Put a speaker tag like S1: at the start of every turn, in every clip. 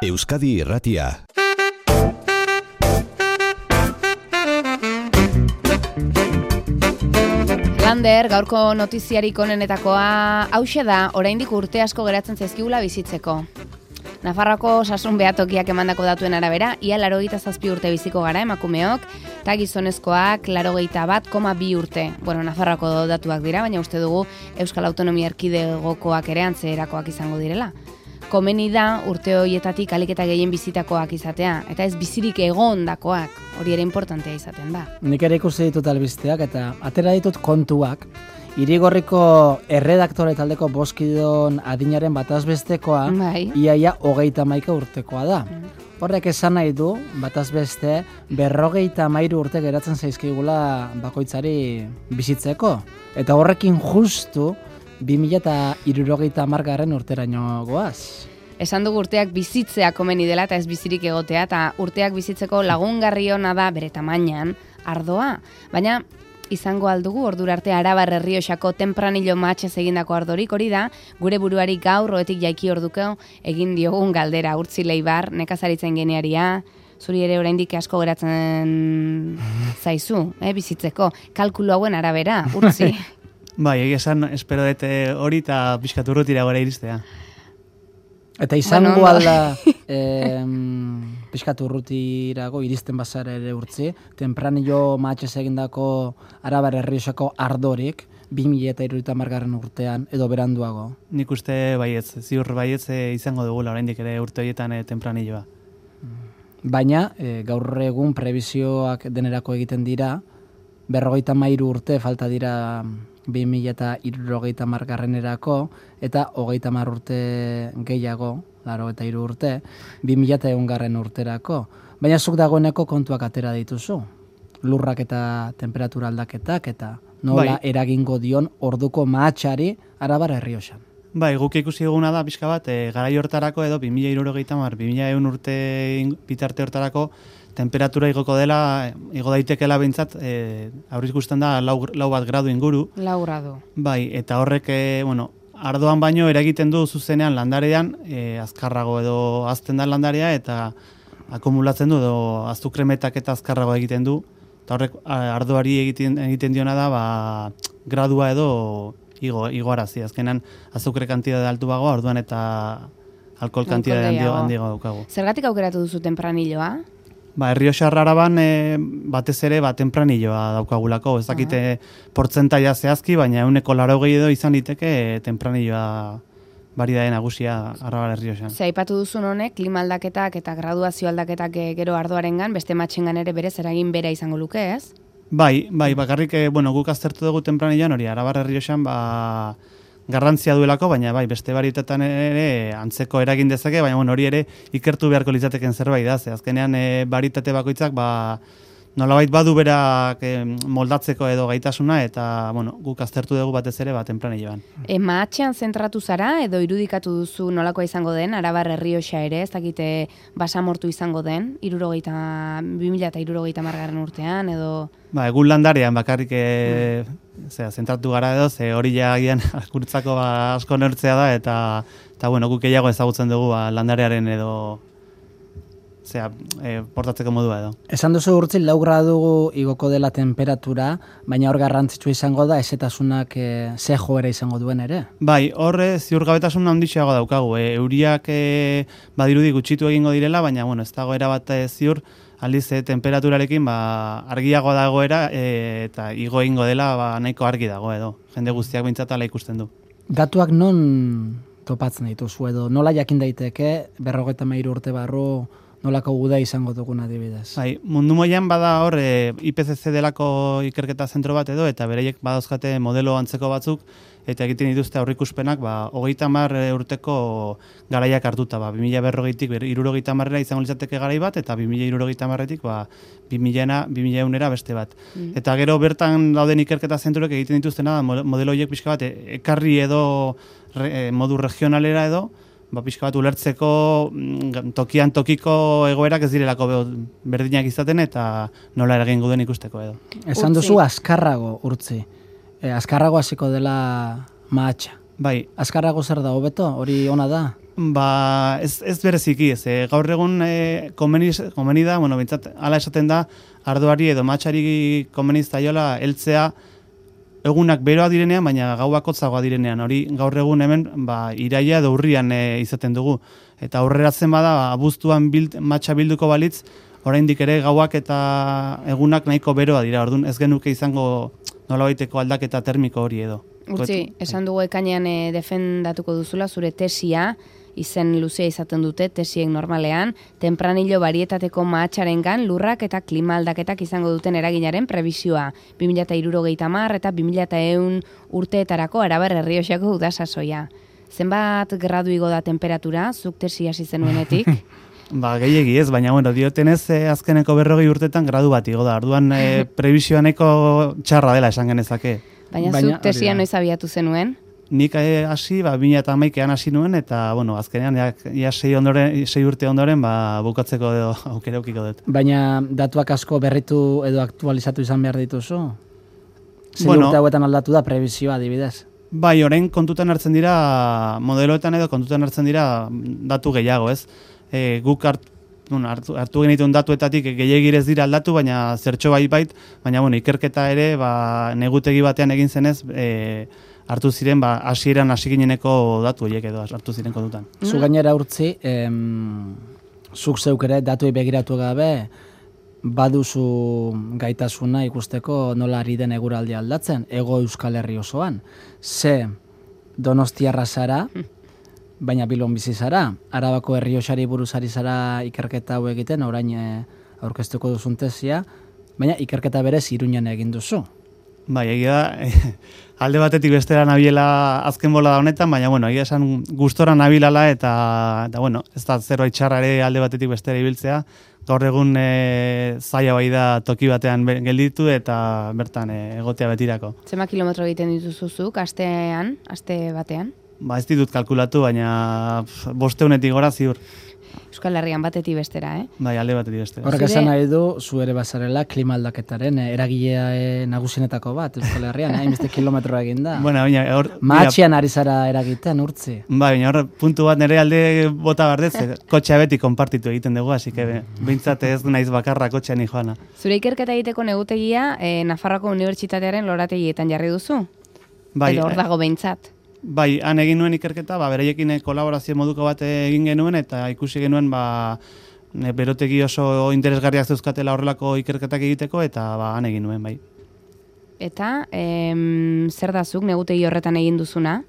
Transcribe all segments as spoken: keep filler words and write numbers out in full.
S1: Euskadi Irratia.
S2: Lander, gaurko notiziarik onenetakoa hauxe da, oraindik urte asko geratzen zaizkigula bizitzeko. Nafarroako osasun behatokiak emandako datuen arabera, ia laurogeita zazpi urte biziko gara emakumeok, eta gizonezkoak laurogeita bat koma bi urte. Bueno, Nafarroako datuak dira, baina uste dugu Euskal Autonomia Erkidegokoak ere antzerakoak izango direla. Komeni da urte horietatik ahalik eta gehien bizitakoak izatea, eta ez bizirik egondakoak, hori ere importantea izaten da.
S3: Nik ere ikusi ditut albisteak eta atera ditut kontuak. Irigorriko erredaktore taldeko boskidon adinaren batazbestekoa,
S2: bai.
S3: Iaia hogeita hamaika urtekoa da. Mm. Horrek esan nahi du, batazbeste, berrogeita hamairu urte geratzen zaizkigula bakoitzari bizitzeko. Eta horrekin justu, bi mila hirurogeita hamargarren urteraino goaz.
S2: Esan dugu urteak bizitzea komeni dela eta ez bizirik egotea, eta urteak bizitzeko lagungarri ona da bere tamainan ardoa. Baina izango aldugu ordura arte Arabar Errioxako tempranillo matxez egindako ardorik, hori da, gure buruari gaur oetik jaiki ordukeo egin diogun galdera. Urtzi Leibar, nekazaritzen genearia, zuri ere oraindik asko geratzen zaizu, eh, bizitzeko. Kalkulu hauen arabera, Urtzi.
S4: Bai, egia esan, espero dut hori eta pixkat urrutira gara iristea.
S3: Eta izango
S2: bueno,
S3: alda eh, pixkat urrutirago iristen bazara ere Urtzi, tempranillo matxez egindako Arabar Errioxako ardorik, bi mila hirurogeita hamargarren urtean, edo beranduago.
S4: Nik uste baietz, ziur baietz izango dugula oraindik ere urte horietan e, tempranilloa.
S3: Baina, e, gaur egun prebizioak denerako egiten dira, berrogeita hamairu urte falta dira bi mila hirurogeita hamargarrenerako, eta hogeita hamar urte gehiago, laurogeita hiru urte, bi mila ehungarren urterako. Baina zuk dagoeneko kontuak atera dituzu. Lurrak eta temperatura aldaketak, eta nola bai. Eragingo dion orduko mahatxari Arabar Errioxan.
S4: Bai, guk ikusi eguna da, pixka bat, e, garai hortarako edo bi mila hirurogeita hamar, bi mila ehun urte bitarte hortarako, temperatura igoko dela, igo daitekela behintzat, e, aurriz guztan da, lau, lau bat gradu inguru.
S2: Lau gradu.
S4: Bai, eta horrek, e, bueno, ardoan baino eragiten du zuzenean landarean, e, azkarrago edo azten da landarea, eta akumulatzen du, edo azukremetak eta azkarrago egiten du, eta horrek ardoari egiten, egiten diona da, ba, gradua edo igo, igoarazi. Azkenan azukre kantidade altu bagoa, orduan eta alkohol kantidade handiago daukagu.
S2: Zergatik aukeratu duzu tempranilloa?
S4: Ba, Errioxar Araban e, batez ere ba, tempranilloa daukagulako. Ez dakite portzentaia zehazki, baina euneko laurogei edo izan liteke e, tempranilloa baridaden nagusia Arabar Errioxan.
S2: Ze aipatu duzun honek, klima aldaketak eta graduazio aldaketak gero ardoarengan, beste matxengan ere berez eragin bera izango luke, ez?
S4: Bai, bai, bakarrik, e, bueno, guk aztertu dugu tempranilloan hori, Arabar Errioxan, ba, garrantzia duelako, baina bai, beste barietetan ere antzeko eragin dezake, baina bueno, hori ere ikertu beharko litzateken zerbait da, ze azkenean e, baritate bakoitzak ba, nolabait badu berak e, moldatzeko edo gaitasuna, eta bueno, guk aztertu dugu batez ere ba, tempranilloan.
S2: E, mahatxean zentratu zara edo irudikatu duzu nolakoa izango den, Arabar Errioxa ere, ez dakite basamortu izango den, irurogeita, bi mila eta hirurogeita hamargarren urtean, edo...
S4: Ba, egun landarean bakarrik e, zera, zentratu gara edo, ze hori jagian guretzako ba, asko neurtzea da, eta, eta bueno, guk gehiago ezagutzen dugu ba, landarearen edo zera, e, portatzeko modua edo.
S3: Esan duzu Urtzi, lau gradu igoko dela temperatura, baina hor garrantzitsua izango da, ezetasunak e, ze joera izango duen ere?
S4: Bai, horre ziurgabetasun handixeago daukagu. E, euriak e, badirudi gutxitu egingo direla, baina bueno, ez dago erabat e, ziur, aldiz e, temperaturarekin ba, argiago dagoera e, eta igo egingo dela ba, nahiko argi dago edo. Jende guztiak bintzatala ikusten du.
S3: Datuak non topatzen dituzu edo, nola jakin daiteke, berrogeita hamairu urte barru, nolako guda izango dugun adibidez?
S4: Bai, mundu moian bada hor e, I P C C delako ikerketa zentro bat edo, eta bereiek badauzkate modelo antzeko batzuk, eta egiten dituzte aurrikuspenak, ba, hogeita hamar urteko garaiak hartuta, ba, bi mila berrogeitik hirurogeita hamarrera izango litzateke garai bat, eta bi mila hirurogeita hamarretik, ba, bi mila eunera beste bat. Mm. Eta gero bertan dauden ikerketa zentroek egiten dituztena, modelo horiek pixka bat, ekarri edo re, modu regionalera edo, ba, pixka bat ulertzeko tokian tokiko egoerak ez direlako berdinak izaten eta nola eragingo duen ikusteko edo.
S3: Esan duzu azkarrago, Urtzi. E, azkarrago hasiko dela mahatxa.
S4: Bai.
S3: Azkarrago zer da, hobeto? Hori ona da?
S4: Ba, ez, ez bereziki, ez, e, gaur egun e, komeni, komeni da, bueno, bintzat, ala esaten da, ardoari edo matxari komeni zaiola heltzea egunak beroa direnean, baina gauak hotzagoa direnean. Hori gaur egun hemen ba, iraila edo urrian e, izaten dugu. Eta aurreratzen bada, abuztuan bild, matxa bilduko balitz, oraindik ere gauak eta egunak nahiko beroa dira. Orduan ez genuke izango nolabaiteko aldaketa termiko hori edo.
S2: Utzi, esan dugu ekainean e, defendatuko duzula zure tesia, izen luzea izaten dute tesiek normalean, tempranillo barietateko mahatxarengan lurrak eta klima aldaketak izango duten eraginaren prebisioa. bi mila hirurogeita hamar eta bi mila ehun urteetarako Arabar Errioxako udasasoia. Zenbat gradu igo da temperatura, zuk tesi hasi zenuenetik?
S4: Ba, gehiegi ez, baina bueno, diotenez eh, azkeneko berrogei urtetan gradu bat igo da. Orduan eh, prebisioa nahiko txarra dela esan genezake.
S2: Baina, baina zuk tesia noiz abiatu zenuen?
S4: Nik hasi, ba, bi mila hamaikaan hasi nuen, eta, bueno, azkenean, ja, ja sei, ondoren, sei urte ondoren, ba, bukatzeko edo aukera ukiko dut.
S3: Baina datuak asko berritu edo aktualizatu izan behar dituzu? Sei
S4: bueno,
S3: urte hauetan aldatu da prebizioa, adibidez?
S4: Bai, orain kontutan hartzen dira, modeloetan edo kontutan hartzen dira datu gehiago, ez? E, guk hart, bueno, hartu, hartu genituen datuetatik gehiagirez dira aldatu, baina zertxo bai bait, baina, bueno, ikerketa ere, ba, negutegi batean egin zenez, e, hartu ziren, ba, hasieran hasi gineneko datu horiek edo hartu ziren kontutan.
S3: Zu gainera urtzi, em, zuk zeuk ere datuei begiratu gabe, baduzu gaitasuna ikusteko nola ari den eguraldia aldatzen, Hego Euskal Herri osoan. Ze Donostiarra zara, baina Bilbon bizi zara, Arabako Errioxari buruz ari zara ikerketa hau egiten, orain e, aurkeztuko duzun tesia, baina ikerketa berez Iruñan egin duzu.
S4: Bai, egia da, alde batetik bestera nabiela azken bola da honetan, baina, bueno, egia esan gustora nabilala eta, eta bueno, ez da zerbait txarra ere alde batetik bestera ibiltzea, gaur egun e, zaila bai da toki batean gelditu eta bertan e, egotea betirako.
S2: Zema kilometro egiten dituzuzuk, astean, aste batean?
S4: Ba, ez ditut kalkulatu, baina bosteunetik gora ziur.
S2: Euskal Herrian batetik bestera, eh?
S4: Bai, alde batetik bestera.
S3: Horrek esan nahi du, zu ere bazarela klima aldaketaren eh, eragilea eh, nagusienetako bat, Euskal Herrian, hainbeste kilometroa egin da.
S4: Bueno, baina hor...
S3: Mahatxean ari zara eragiten, urtzi.
S4: Bai, baina hor puntu bat nire alde bota bardez, kotxea beti konpartitu egiten dugu, así que behintzat ez naiz bakarra kotxean joana.
S2: Zure ikerketa egiteko negutegia, eh, Nafarroako Unibertsitatearen lorategietan jarri duzu?
S4: Bai,
S2: edo hor dago behintzat?
S4: Bai, han egin nuen ikerketa, ba, bereiekin kolaborazio moduko bat egin genuen, eta ikusi genuen, ba, berotegi oso interesgarriak zeuzkatela horrelako ikerketak egiteko, eta ba, han egin nuen, bai.
S2: Eta, em, zer da zuk negutegi horretan egin duzuna?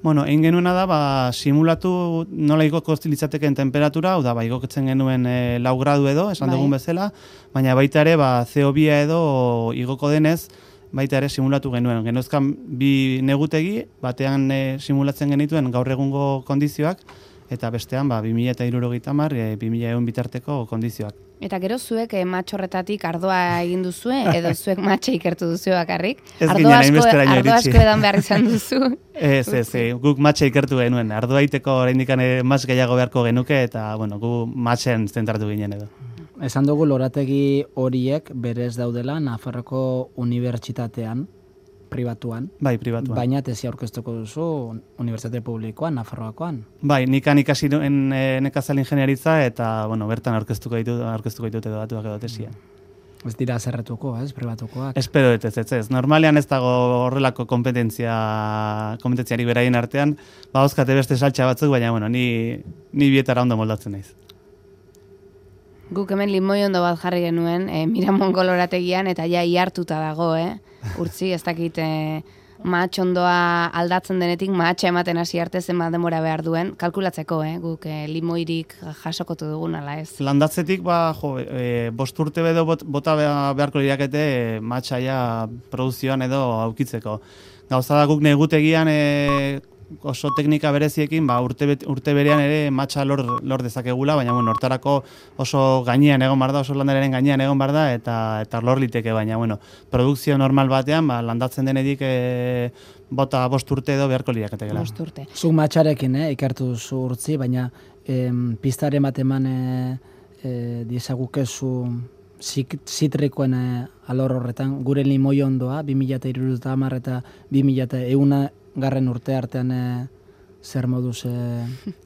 S4: Bueno, egin genuena da, ba, simulatu nola igoko litzateken temperatura, hau da, ba, igoketzen genuen e, lau gradu edo, esan
S2: bai.
S4: dugun bezala, baina baita ere, ba, C O bi edo igoko denez, baita ere simulatu genuen. Genozkan bi negutegi, batean e, simulatzen genituen gaur egungo kondizioak, eta bestean ba, bi mila hirurogeita hamar, e, bi mila ehun bitarteko kondizioak.
S2: Eta gero zuek eh, matxorretatik ardoa egin duzue, edo zuek matxa ikertu duzue bakarrik?
S4: Ez
S2: ardo
S4: ginen
S2: asko,
S4: hainbesteraino
S2: ardo
S4: iritsi.
S2: asko edan behar izan duzu?
S4: Ez, ez, ez, guk matxa ikertu genuen. Ardoa iteko oraindik matx gehiago beharko genuke, eta bueno, gu matxen zentratu ginen edo.
S3: Esan dugu lorategi horiek berez daudela Nafarroko Unibertsitatean, pribatuan.
S4: Bai, pribatuan.
S3: Baina tesia aurkeztuko duzu Unibertsitate Publikoan, Nafarroakoan.
S4: Bai, nikan ikasi nuen e, nekazal ingenieritza eta bueno, bertan aurkeztuko ditut, aurkeztuko ditut edo datuak edo tesia.
S3: Ez dira zerretuko, ez, pribatukoak.
S4: Espero dut ez, ez, ez. Normalean ez dago horrelako kompetentzia, kompetentziari beraien artean, ba, oskate beste saltxa batzuk, baina bueno, ni, ni bietara ondo moldatzen naiz.
S2: Guk hemen limoi ondo bat jarri genuen, e, Miramongo lorategian, eta ja ihartuta dago, eh? Urtzi, ez dakit e, mahatx ondoa aldatzen denetik, mahatxa ematen hasi arte zenbat denbora behar duen, kalkulatzeko, eh? Guk e, limoirik jasokotu dugun, ala ez?
S4: Landatzetik, ba, jo, e, bost urte bedo bot, bota beharko lirakete e, mahatxaia produzioan edo aukitzeko. Gauza da guk negutegian e, oso teknika bereziekin, ba, urte, urte berean ere matxa lor, lor dezakegula, baina bueno, hortarako oso gainean egon bar da, oso landararen gainean egon bar da, eta, eta lor liteke, baina bueno, produkzio normal batean, ba, landatzen denetik e, bota bost urte edo beharko lirakete gela.
S2: Bost urte.
S3: Zuk matxarekin, eh, ikertu duzu urtzi, baina em, pistaren bat eman e, e, diezagukezu zitrikoen e, alor horretan, gure limoi ondoa, bi mila hirurogeita hamar eta bi mila ehun garren urte artean e, zer moduz e,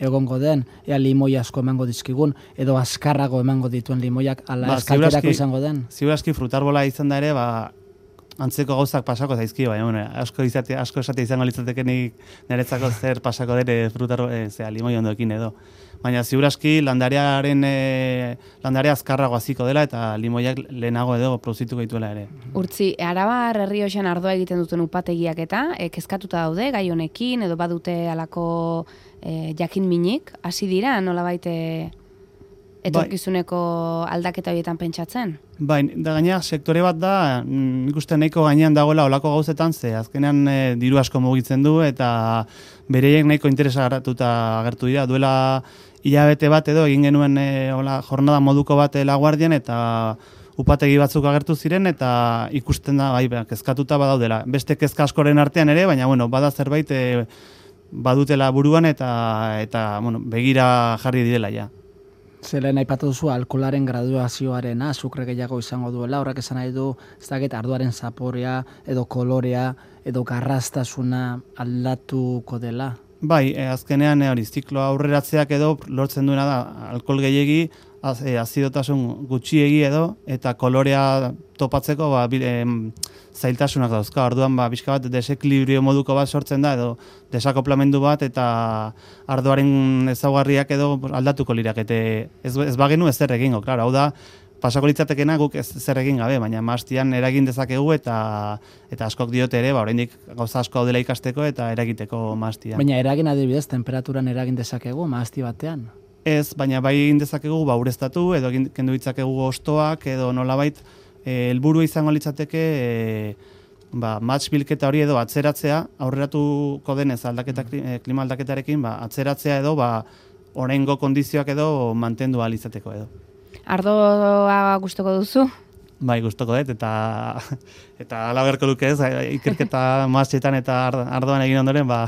S3: egongo den, ea limoi asko emango dizkigun, edo azkarrago emango dituen limoiak, ala
S4: Ba,
S3: eskalterako izango den.
S4: Ziur aski frutarbola izan da ere, ba, antzeko gauzak pasako zaizki, baina bueno, asko izate, asko esate izango litzatekenik niretzako zer pasako dere frutar, e, zera, limoi ondoekin edo. Baina ziur aski landarearen e, landarea azkarrago hasiko dela eta limoiak lehenago edo produzituko dituela ere.
S2: Urtzi, Arabar Errioxan ardoa egiten duten upategiak eta e, kezkatuta daude gai honekin edo badute halako e, jakin minik, hasi dira nolabait e, etorkizuneko aldaketa horietan pentsatzen?
S4: Bai, da gaina sektore bat da, nik uste nahiko gainean dagoela olako gauzetan, ze azkenean e, diru asko mugitzen du eta bereiek nahiko interesa garatuta agertu dira. Duela hilabete bat edo egin genuen e, hola, jornada moduko bat Laguardian eta upategi batzuk agertu ziren eta ikusten da, bai, kezkatuta badaudela. Beste kezka askoren artean ere, baina bueno, bada zerbait e, badutela buruan eta, eta bueno, begira jarri direla ja.
S3: Zelen aipatu duzu alkoholaren graduazioarena, azukre gehiago izango duela, horrek esan nahi du, ez dakit arduaren zaporea, edo kolorea, edo garrastasuna aldatuko dela.
S4: Bai, e, azkenean hori ziklo aurreratzeak edo lortzen duena da alkohol gehiegi, az, e, azidotasun gutxiegi edo, eta kolorea topatzeko ba, bi, e, zailtasunak dauzka. Orduan ba, bizka bat desekilibrio moduko bat sortzen da edo desakoplamendu bat eta ardoaren ezaugarriak edo aldatuko lirakete. Ez, ez bagenu ez zer egingo, claro, hau da pasako litzatekena guk ez zer egin gabe, baina mahastian eragin dezakegu eta eta askok diote ere, ba oraindik gauza asko daudela ikasteko eta eragiteko mahastian.
S3: Baina eragin adibidez temperaturan eragin dezakegu mahasti batean.
S4: Ez, baina bai egin dezakegu ba ureztatu edo egin kendu ditzakegu hostoak edo nolabait helburu izango litzateke e, ba match bilketa hori edo atzeratzea, aurreratuko denez aldaketa klima aldaketarekin, ba atzeratzea edo ba oraingo kondizioak edo mantendu ahal izateko edo.
S2: Ardoa gustoko duzu?
S4: Bai, gustoko dut, eta eta ala beharko luke ez, ikerketa mahastetan eta ardoan egin ondoren, ba,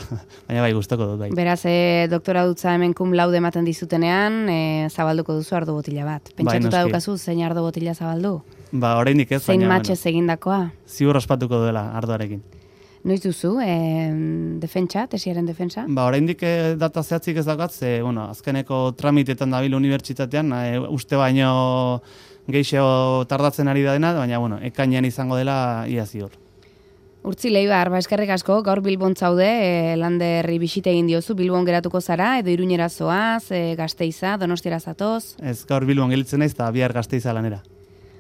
S4: baina bai, gustoko dut. Bai.
S2: Beraz, e, doktora dutza hemen kum laude ematen dizutenean, e, zabalduko duzu ardo botila bat. Pentsatuta bai, daukazu, zein ardo botila zabaldu?
S4: Ba, oraindik ez,
S2: zein
S4: baina...
S2: Zein matxez bueno, egindakoa?
S4: Ziur ospatuko duela ardoarekin.
S2: Noiz duzu, e, defentsa, tesiaren defensa?
S4: Ba, oraindik e, data zehatzik ez daukat, ze, bueno, azkeneko tramitetan dabil unibertsitatean, e, uste baino geixo tardatzen ari da dena, baina, bueno, ekainean izango dela ia ziur.
S2: Urtzi Leibar, ba, eskerrik asko, gaur Bilbon zaude, e, Landerri bisite egin diozu, Bilbon geratuko zara, edo Iruñera zoaz, e, Gasteiza, Donostiara zatoz?
S4: Ez, gaur Bilbon gelitzen naiz, eta bihar Gasteiza lanera.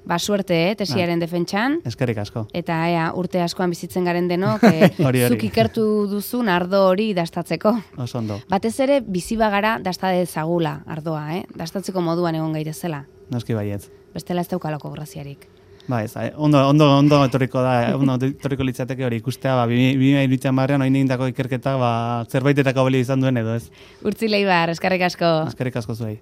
S2: Ba, suerte, eh, tesiaren ah. defentsan.
S4: Eskerrik asko.
S2: Eta ea, urte askoan bizitzen garen denok, e,
S4: hori, hori.
S2: zuk ikertu duzun ardo hori dastatzeko.
S4: Oso ondo.
S2: Batez ere, bizi bagara dasta dezagula ardoa, eh? Dastatzeko moduan egon gaitezela.
S4: Noski baietz.
S2: Bestela ez daukalako graziarik.
S4: Ba ez, ondo, ondo, ondo etorriko da, ondo etorriko litzateke hori ikustea, ba, bi mila hirurogeita oin egindako ikerketa, ba, zerbaitetako balio izan duen edo ez.
S2: Urtzi Leibar, eskerrik asko.
S4: Eskerrik asko zuei.